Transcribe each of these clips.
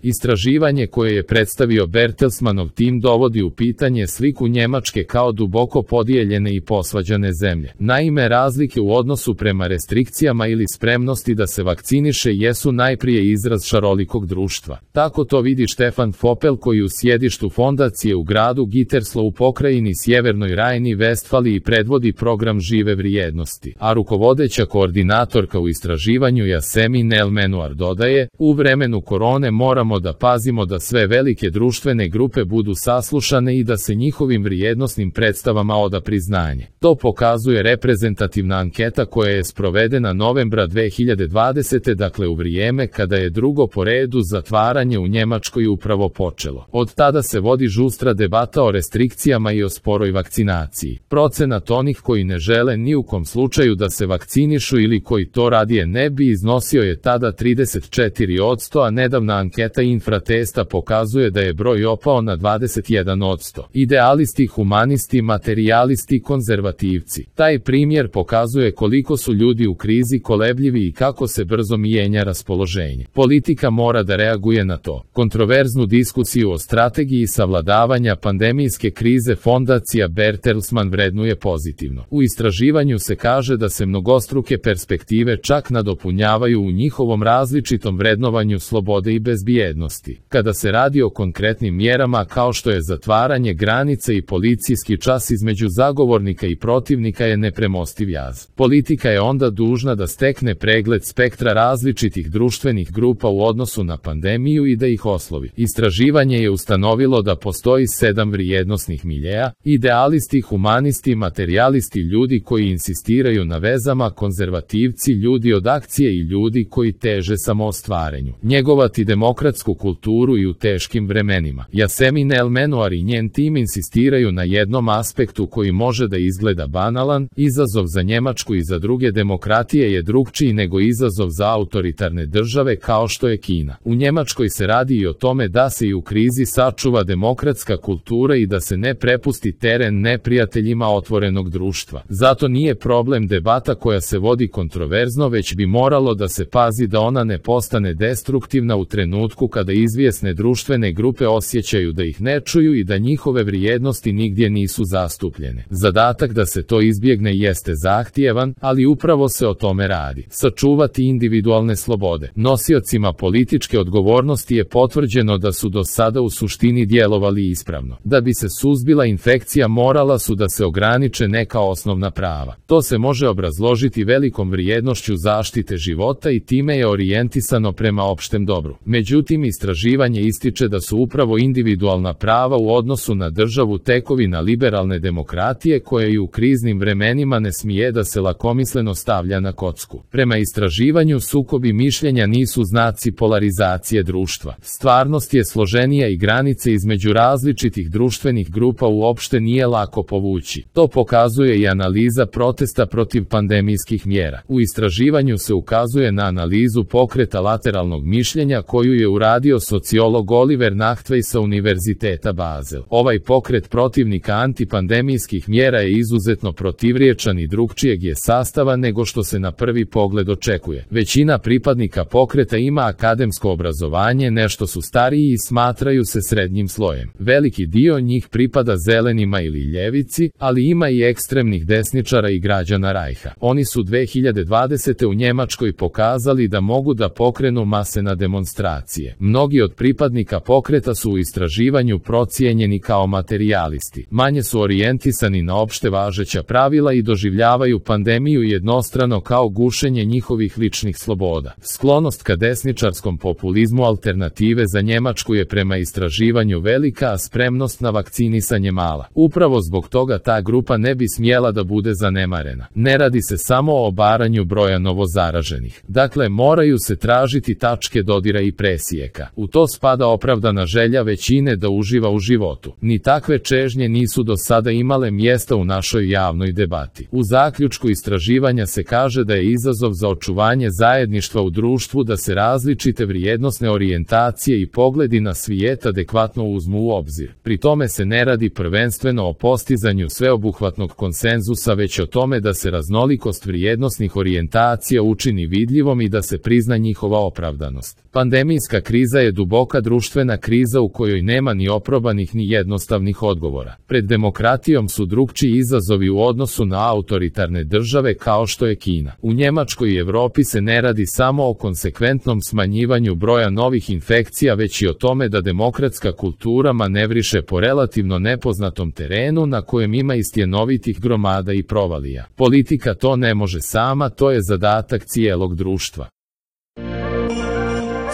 Istraživanje koje je predstavio Bertelsmannov tim dovodi u pitanje sliku Njemačke kao duboko podijeljene i posvađane zemlje. Naime, razlike u odnosu prema restrikcijama ili spremnosti da se vakciniše jesu najprije izraz šarolikog društva. Tako to vidi Štefan Fopel, koji u sjedištu fondacije u gradu Gütersloh u pokrajini Sjevernoj Rajni-Vestfaliji predvodi program Žive vrijednosti, a rukovodeća koordinatorka u istraživanju Yasemin El-Menuar dodaje: u vremenu korone moramo da pazimo da sve velike društvene grupe budu saslušane i da se njihovim vrijednosnim predstavama oda priznanje. To pokazuje reprezentativna anketa koja je sprovedena novembra 2020. dakle u vrijeme kada je drugo po redu zatvaranje u Njemačkoj upravo počelo. Od tada se vodi žustra debata o restrikcijama i o sporoj vakcinaciji. Procenat onih koji ne žele ni u kom slučaju da se vakcinišu ili koji to radije ne bi iznosio je tada 34%, a nedavna anketa Infratesta pokazuje da je broj opao na 21%. Idealisti, humanisti, materijalisti, konzervativci. Taj primjer pokazuje koliko su ljudi u krizi kolebljivi i kako se brzo mijenja raspoloženje. Politika mora da reaguje na to. Kontroverznu diskusiju o strategiji savladavanja pandemijske krize fondacija Bertelsmann vrednuje pozitivno. U istraživanju se kaže da se mnogostruke perspektive čak nadopunjavaju u njihovom različitom vrednovanju slobode i bezbjednosti. Kada se radi o konkretnim mjerama kao što je zatvaranje granice i policijski čas između zagovornika i protivnika je nepremostiv jaz. Politika je onda dužna da stekne pregled spektra različitih društvenih grupa u odnosu na pandemiju i da ih oslovi. Istraživanje je ustanovilo da postoji 7 vrijednosnih miljeja: idealisti, humanisti, materijalisti, ljudi koji insistiraju na vezama, konzervativci, ljudi od akcije i ljudi koji teže samoostvarenju. Njegovati demokratsku kulturu i u teškim vremenima. Yasemin El-Menuar i njen tim insistiraju na jednom aspektu koji može da izgleda banalan: izazov za Njemačku i za druge demokratije je drugčiji nego izazov za autoritarne države kao što je Kina. U Njemačkoj se radi i o tome da se i u krizi sačuva demokratska kultura i da se ne prepusti teren neprijateljima otvorenog društva. Zato nije problem debata koja se vodi kontroverzno, već bi moralo da se pazi da ona ne postane destruktivna u trenutku kada izvjesne društvene grupe osjećaju da ih ne čuju i da njihove vrijednosti nigdje nisu zastupljene. Zadatak da se to izbjegne jeste zahtjevan, ali upravo se o tome radi. Sačuvati individualne slobode. Nosiocima političke odgovornosti je potvrđeno da su do sada u suštini djelovali ispravno. Da bi se suzbila infekcija morala su da se ograniče neka osnovna prava. To se može obrazložiti velikom vrijednošću zaštite života i time je orijentisano prema opštem dobru. Međutim, istraživanje ističe da su upravo individualna prava u odnosu na državu tekovina liberalne demokratije koja i u kriznim vremenima ne smije da se lakomisleno stavlja na kocku. Prema istraživanju, sukobi mišljenja nisu znaci polarizacije društva. Stvarnost je složenija i granice između različitih društvenih grupa uopšte nije lako povući. To pokazuje i analiza protesta protiv pandemijskih mjera. U istraživanju se ukazuje na analizu pokreta lateralnog mišljenja koju je uradio sociolog Oliver Nachtwey sa Univerziteta Basel. Ovaj pokret protivnika antipandemijskih mjera je izuzetno protivriječan i drugčijeg je sastava nego što se na prvi pogled očekuje. Većina pripadnika pokreta ima akademsko obrazovanje, nešto su stariji i smatraju se srednjim slojem. Veliki dio njih pripada zelenima ili ljevici, ali ima i ekstremnih desničara i građana Rajha. Oni su 2020. u Njemačkoj pokazali da mogu da pokrenu mase na demonstracije. Mnogi od pripadnika pokreta su u istraživanju procijenjeni kao materijalisti. Manje su orijentisani na opšte važeća pravila i doživljavaju pandemiju jednostrano kao gušenje njihovih ličnih sloboda. Sklonost ka desničarskom populizmu alternative za Njemačku je prema istraživanju velika, a spremnost na vakcinisanje mala. Upravo zbog toga ta grupa ne bi smjela da bude zanemarena. Ne radi se samo o obaranju broja novozaraženih. Dakle, moraju se tražiti tačke dodira i presijeka. U to spada opravdana želja većine da uživa u životu. Ni takve čežnje nisu do sada imale mjesta u našoj javnoj debati. U zaključku istraživanja se kaže da je izazov za očuvanje zajedništva u društvu da se različite vrijednosne orijentacije i pogledi na svijet adekvatno uzmu u obzir. Pri tome se ne radi prvenstveno o postizanju sveobuhvatnog konsenzusa, već o tome da se raznolikost vrijednosnih orijentacija učini vidljivom i da se prizna njihova opravdanost. Pandemijska kriza je duboka društvena kriza u kojoj nema ni oprobanih ni jednostavnih odgovora. Pred demokratijom su drukčiji izazovi u odnosu na autoritarne države kao što je Kina. U Njemačkoj i Evropi se ne radi samo o konsekventnom smanjivanju broja novih infekcija, već i o tome da demokratska kultura manevriše po relativno nepoznatom terenu na kojem ima istjenovitih gromada i provalija. Politika to ne može sama, to je zadatak cijelog društva.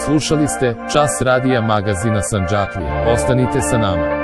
Slušali ste Čas radija magazina Sandžaklija. Ostanite sa nama.